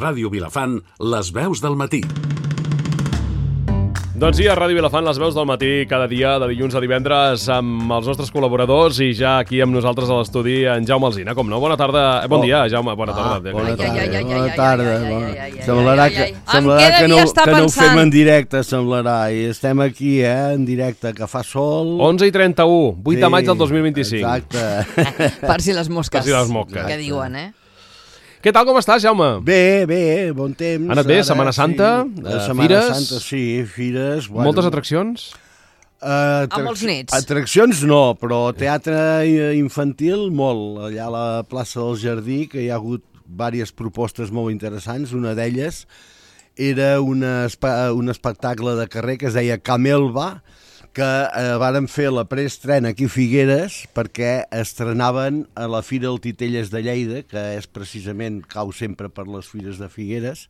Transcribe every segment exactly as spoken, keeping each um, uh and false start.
Ràdio Vilafant, les veus del matí. Doncs sí, a Ràdio Vilafant, les veus del matí, cada dia, de dilluns a divendres, amb els nostres col·laboradors i ja aquí amb nosaltres a l'estudi, en Jaume Alsina, com no? Bona tarda, eh, bon dia, Jaume, bona tarda. Ah, bona tarda, Ai, ai, ai, bona ai, tarda. ai, ai, bona- ai, ai, ai, Semblarà ai, ai, que, ai. semblarà En què que, no, devia estar que no ho pensant? fem en directe, semblarà. I estem aquí, eh, en directe, que fa sol. onze i trenta-u, vuit de Sí, maig del dos mil vint-i-cinc. Exacte. Per si les mosques. Per si les mosques. Que diuen, eh? Què tal, com estàs, Jaume? Bé, bé, bon temps. Ha anat bé, Ara, Setmana Santa, sí. eh, Setmana fires? Santa, sí, fires. Bueno, Moltes atraccions? Uh, Amb els nets. Atraccions no, però teatre infantil molt. Allà a la plaça del Jardí, que hi ha hagut diverses propostes molt interessants. Una d'elles era una, un espectacle de carrer que es deia Camelva, que eh, varen fer la preestrena aquí a Figueres perquè estrenaven a la Fira del Titelles de Lleida, que és precisament, cau sempre per les Fires de Figueres,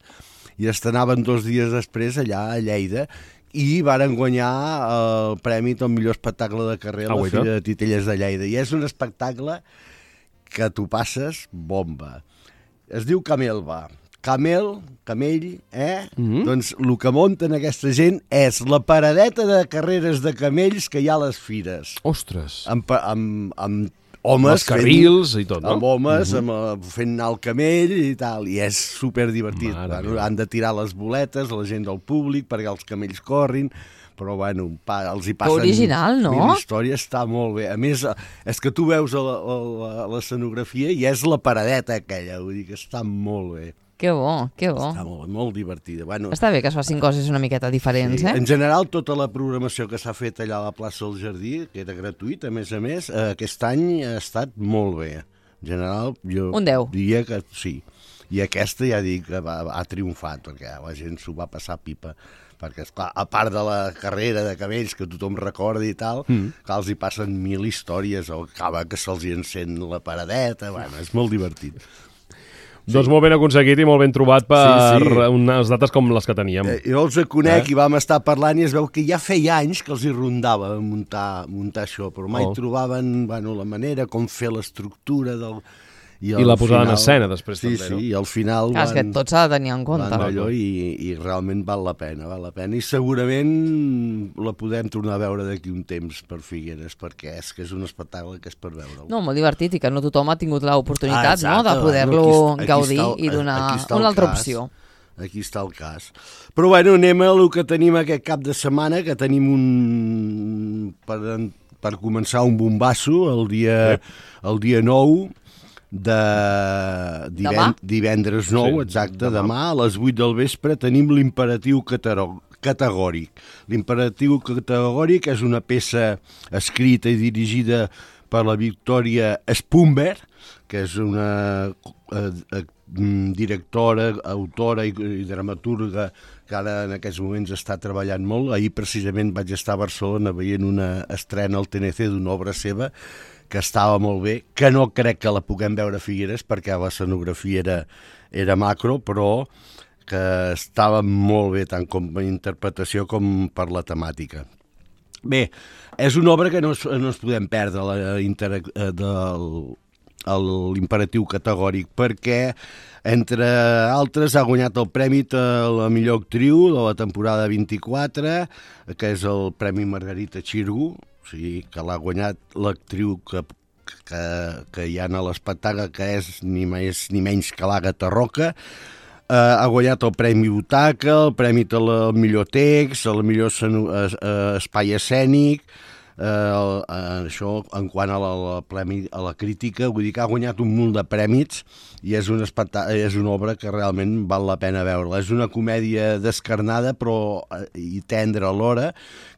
i estrenaven dos dies després allà a Lleida, i varen guanyar el premi del millor espectacle de carrer a la Ah, Fira de Titelles de Lleida. I és un espectacle que tu passes bomba. Es diu Camelva. Camel, camell, eh? Mhm. Doncs el que munten aquesta gent és la paradeta de carreres de camells que hi ha a les fires. Ostres, Amb, pa- amb, amb homes... els carrils i tot, no? Amb homes, amb, eh, fent anar el camell i tal, i és superdivertit. Mare Bueno, meva. han de tirar les boletes, la gent del públic, perquè els camells corrin, però bueno, pa, els hi passen... original, no? Mil històries, està molt bé. A més, eh, és que tu veus a la- a la- a l'escenografia i és la paradeta aquella, vull dir que està molt bé. Que bo, que bo. Està molt, molt divertida. Bueno, Està bé que es facin coses una miqueta diferents, sí. eh? En general, tota la programació que s'ha fet allà a la plaça del Jardí, que era gratuïta, a més a més, eh, aquest any ha estat molt bé. En general, jo Un deu. diria que sí. I aquesta ja dic que va, ha triomfat, perquè la gent s'ho va passar pipa. Perquè, esclar, a part de la carrera de cabells que tothom recorda i tal, mm. que els hi passen mil històries, o acaba que se'ls hi encén la paradeta, bueno, és molt divertit. Doncs molt ben aconseguit i molt ben trobat per Sí, sí. unes dates com les que teníem. Eh, jo els conec Eh? i vam estar parlant i es veu que ja feia anys que els hi rondava muntar, muntar això, però mai Oh. trobaven bueno, la manera, com fer l'estructura del... I la posada en escena després, sí, també, sí, no? i al final Clar, és que tot s'ha de tenir en compte. van allò i, i realment val la pena, val la pena. I segurament la podem tornar a veure d'aquí un temps per Figueres, perquè és que és un espectacle que és per veure'l. No, molt divertit i que no tothom ha tingut l'oportunitat, Ah, exacte, no?, de poder-lo bueno, aquí- aquí gaudir està el- i donar aquí està el una altra cas. opció. Aquí està el cas. Però bueno, anem a el que tenim aquest cap de setmana, que tenim un... per, per començar un bombasso el dia, el dia nou de diven, Demà? divendres nou, Sí, exacte, demà. demà a les vuit del vespre tenim l'imperatiu cataro- categòric. L'imperatiu categòric és una peça escrita i dirigida per la Victòria Spumber, que és una eh, eh, directora, autora i, i dramaturga que ara en aquests moments està treballant molt. Ahir precisament vaig estar a Barcelona veient una estrena al T N C d'una obra seva que estava molt bé, que no crec que la puguem veure a Figueres perquè l'escenografia era, era macro, però que estava molt bé tant com a interpretació com per la temàtica. Bé, és una obra que no, es- no ens podem perdre, la, interac- eh, del, el- l'imperatiu categòric, perquè, entre altres, ha guanyat el premi a la millor actriu de la temporada vint-i-quatre, que és el Premi Margarita Xirgu, o sigui, que l'ha guanyat l'actriu que, que, que hi ha a l'espectacle, que és ni més ni menys que l'Àgata Roca. Uh, ha guanyat el Premi Butaca, el Premi de la millor text, el millor esceno- es- eh, espai escènic, uh, això en quant a la, la, premi, a la crítica, vull dir que ha guanyat un munt de prèmits i és, un especta- és una obra que realment val la pena veure-la. És una comèdia descarnada però eh, i tendra alhora,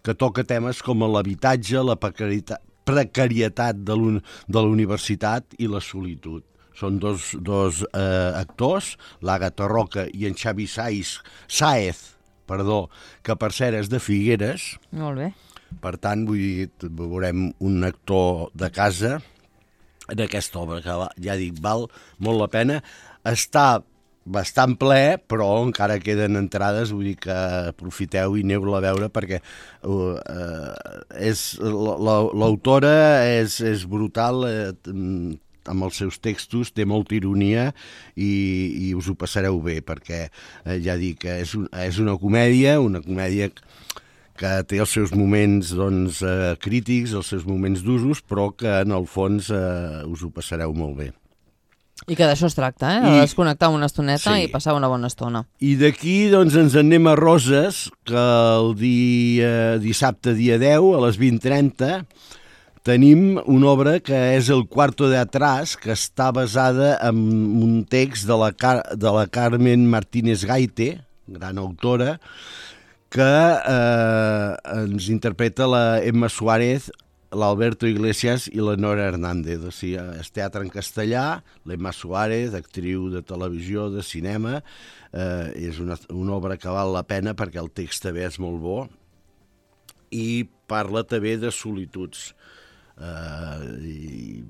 que toca temes com l'habitatge, la precarietat, precarietat de, l'un, de la universitat i la solitud. Són dos, dos eh, actors, l'Àgata Roca i en Xavi Sáez, Sáez, perdó, que per cert és de Figueres. Molt bé. Per tant, vull dir, veurem un actor de casa en aquesta obra, que va- ja dic, val molt la pena. Està bastant ple, però encara queden entrades, vull dir que aprofiteu i aneu-la a veure perquè uh, uh, és, la- la- l'autora és, és brutal, eh, amb els seus textos, té molta ironia i, i us ho passareu bé, perquè eh, ja dic que és, un, és una comèdia, una comèdia que té els seus moments doncs, eh, crítics, els seus moments d'usos, però que en el fons eh, us ho passareu molt bé. I que d'això es tracta, eh? De I- desconnectar una estoneta Sí. i passar una bona estona. I d'aquí doncs, ens en anem a Roses, que el dia, dissabte dia deu, a les vint trenta, tenim una obra que és el Cuarto de Atrás, que està basada en un text de la, Car de la Carmen Martínez Gaite, gran autora, que eh, ens interpreta la Emma Suárez, l'Alberto Iglesias i la Nora Hernández. O sigui, és teatre en castellà, l'Emma Suárez, actriu de televisió, de cinema, eh, és una, una obra que val la pena perquè el text també és molt bo i parla també de solituds. Uh, i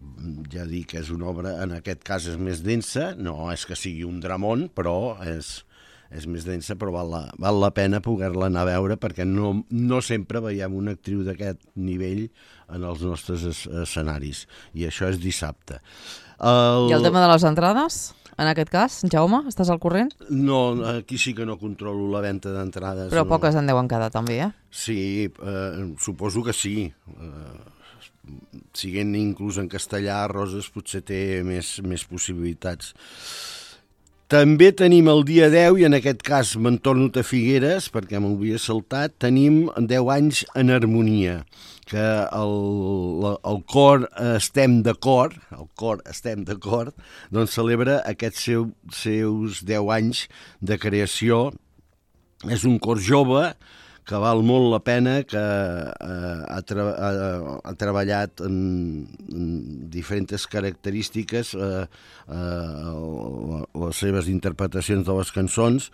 ja dic que és una obra, en aquest cas és més densa, no és que sigui un dramón, però és, és més densa, però val la, val la pena poder-la anar a veure, perquè no, no sempre veiem una actriu d'aquest nivell en els nostres es, escenaris, i això és dissabte. El... I el tema de les entrades, en aquest cas, Jaume, estàs al corrent? No, aquí sí que no controlo la venda d'entrades. Però no. poques en deuen quedar també, eh? Sí, eh, suposo que sí. Eh, siguent inclús en castellà, Roses potser té més, més possibilitats. També tenim el dia deu, i en aquest cas me'n torno a Figueres, perquè m'ho havia saltat, tenim deu anys en harmonia, que el, el cor Estem d'acord, el cor Estem d'acord, doncs celebra aquests seu, seus deu anys de creació. És un cor jove, que val molt la pena, que eh, ha, tra ha, ha treballat en, en diferents característiques, eh, eh, les seves interpretacions de les cançons,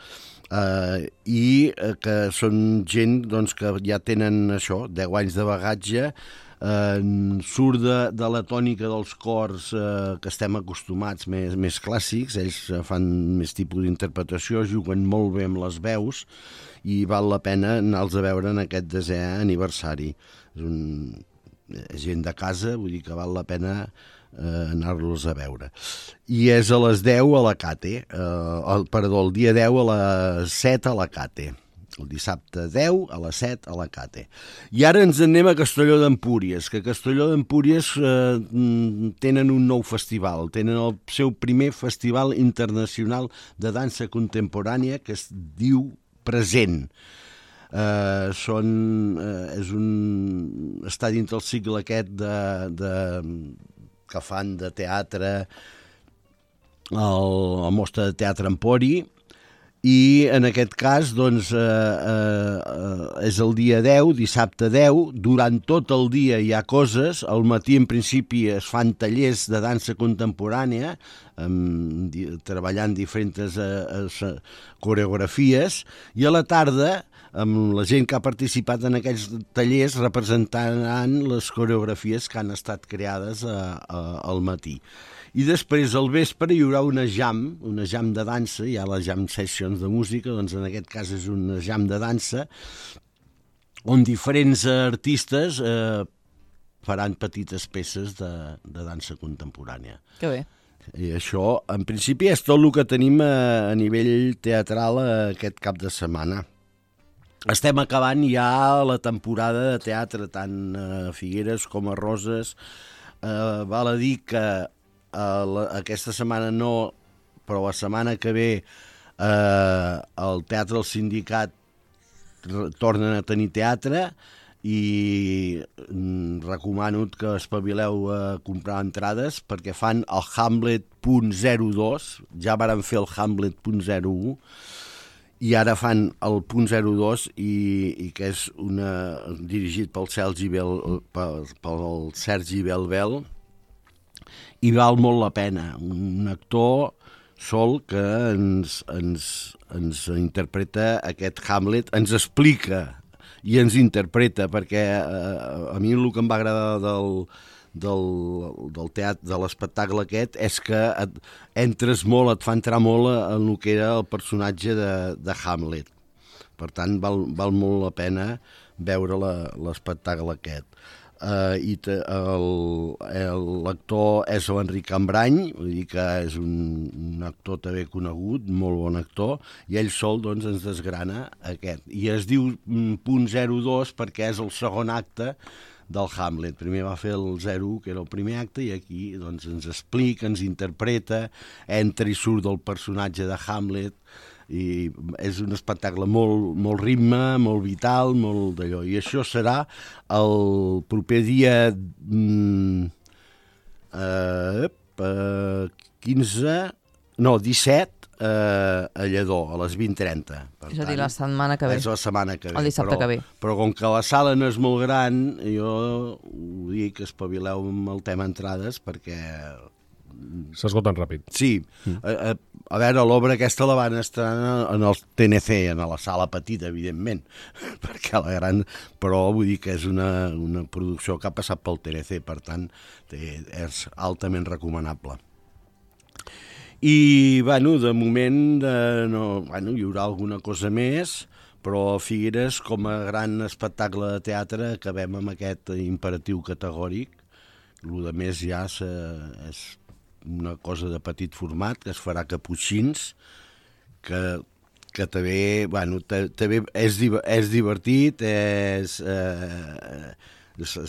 eh, i eh, que són gent doncs, que ja tenen això, deu anys de bagatge, eh, surt de, de la tònica dels cors eh, que estem acostumats, més, més clàssics. Ells fan més tipus d'interpretació, juguen molt bé amb les veus, i val la pena anar-los a veure en aquest desè aniversari. És un, és gent de casa, vull dir que val la pena eh, anar-los a veure. I és a les deu a la Cate, eh, el, perdó, el dia deu a les set a la Cate. El dissabte deu a les set a la Cate. I ara ens anem a Castelló d'Empúries, que a Castelló d'Empúries eh, tenen un nou festival, tenen el seu primer festival internacional de dansa contemporània, que es diu Present. Uh, són, uh, és un, està dins del cicle aquest de, de, que fan de teatre, el, la mostra de teatre Empori, i en aquest cas doncs, eh, eh, és el dia deu, dissabte deu, durant tot el dia hi ha coses, al matí en principi es fan tallers de dansa contemporània, amb, treballant diferents eh, eh, coreografies, i a la tarda, amb la gent que ha participat en aquells tallers, representaran les coreografies que han estat creades a, a, al matí. I després, al vespre, hi haurà una jam, una jam de dansa, hi ha les jam sessions de música, doncs en aquest cas és una jam de dansa, on diferents artistes eh, faran petites peces de, de dansa contemporània. Que bé. I això, en principi, és tot el que tenim a, a nivell teatral aquest cap de setmana. Estem acabant ja la temporada de teatre, tant a Figueres com a Roses. Eh, val a dir que Uh, la, aquesta setmana no, però la setmana que ve uh, el Teatre del Sindicat tornen a tenir teatre, i mm, recomano que espavileu a comprar entrades, perquè fan el Hamlet punt zero dos, ja varen fer el Hamlet punt zero u, i ara fan el punt zero dos, i, i que és una, dirigit pel Sergi Bel, pel, pel Sergi Belbel, i val molt la pena. Un actor sol que ens, ens, ens interpreta aquest Hamlet, ens explica i ens interpreta, perquè eh, a mi el que em va agradar del, del, del teatre, de l'espectacle aquest, és que et, entres molt, et fa entrar molt en el que era el personatge de, de Hamlet. Per tant, val, val molt la pena veure l'espectacle aquest. Uh, i te, el, el, l'actor és l'Enric Cambrany, vull dir que és un, un actor també conegut, molt bon actor, i ell sol doncs, ens desgrana aquest. I es diu punt zero dos perquè és el segon acte del Hamlet. Primer va fer el zero u, que era el primer acte, i aquí doncs, ens explica, ens interpreta, entra i surt del personatge de Hamlet, i és un espectacle molt, molt ritme, molt vital, molt d'allò. I això serà el proper dia mm, eh, eh, quinze, no, disset, eh, a Lledó, a les vint trenta. És a dir, la setmana que ve. És la setmana que ve. El dissabte però, que ve. Però com que la sala no és molt gran, jo ho dic, espavileu amb el tema entrades, perquè s'esgoten ràpid. sí, mm. a, a, a veure, l'obra aquesta la van estrenar en el T N C, en la sala petita, evidentment, perquè la gran, però vull dir que és una, una producció que ha passat pel T N C, per tant, té, és altament recomanable. I, bueno, de moment, eh, no, bueno, hi haurà alguna cosa més, però Figueres, com a gran espectacle de teatre, acabem amb aquest imperatiu categòric. El de més ja és, és una cosa de petit format, que es farà caputxins, que, que també, bueno, també és, és divertit, és, eh,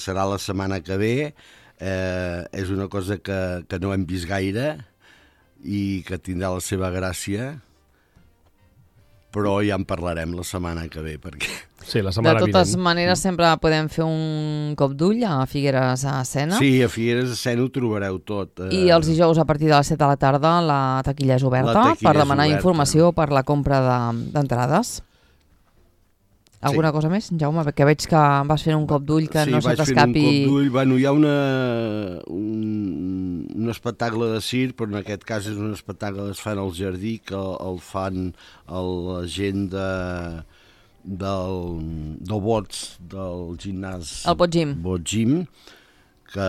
serà la setmana que ve, eh, és una cosa que, que no hem vist gaire i que tindrà la seva gràcia, però ja en parlarem la setmana que ve, perquè... Sí, la setmana de totes vinent. maneres, sempre podem fer un cop d'ull a Figueres a escena. Sí, a Figueres a escena ho trobareu tot. Eh... I els dijous a partir de les set de la tarda la taquilla és oberta La taquilla per demanar és oberta. informació per la compra d'entrades. De, Alguna Sí. cosa més, Jaume? Perquè veig que vas fent un cop d'ull que sí, no se vaig fent t'escapi... un cop d'ull. Bueno, hi ha una, un, un espectacle de circ, però en aquest cas és un espectacle que es fan al jardí, que el fan el, la gent de, del, del Bots, del gimnàs... El Botgym. Botgym, que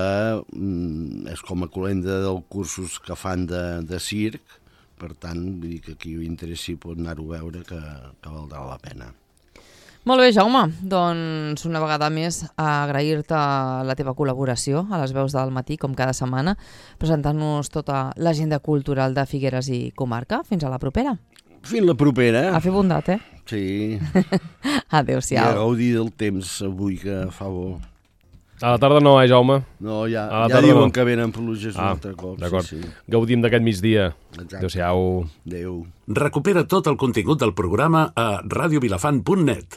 mm, és com a colenda dels cursos que fan de, de circ, per tant, vull dir que qui ho interessi pot anar-ho a veure, que, que valdrà la pena. Molt bé, Jaume. Doncs una vegada més agrair-te la teva col·laboració a les veus del matí, com cada setmana, presentant-nos tota l'agenda cultural de Figueres i comarca. Fins a la propera. Fins la propera. A fer bondat, eh? Sí. I a Adéu-siau. gaudir del temps avui, que fa bo. A la tarda no, eh, Jaume? No, ja, A la ja tarda diuen no. que venen pluges un Ah, altre cop. d'acord. Sí, sí. Gaudim d'aquest migdia. Exacte. Adéu-siau. Adéu. Recupera tot el contingut del programa a radiovilafant punt net.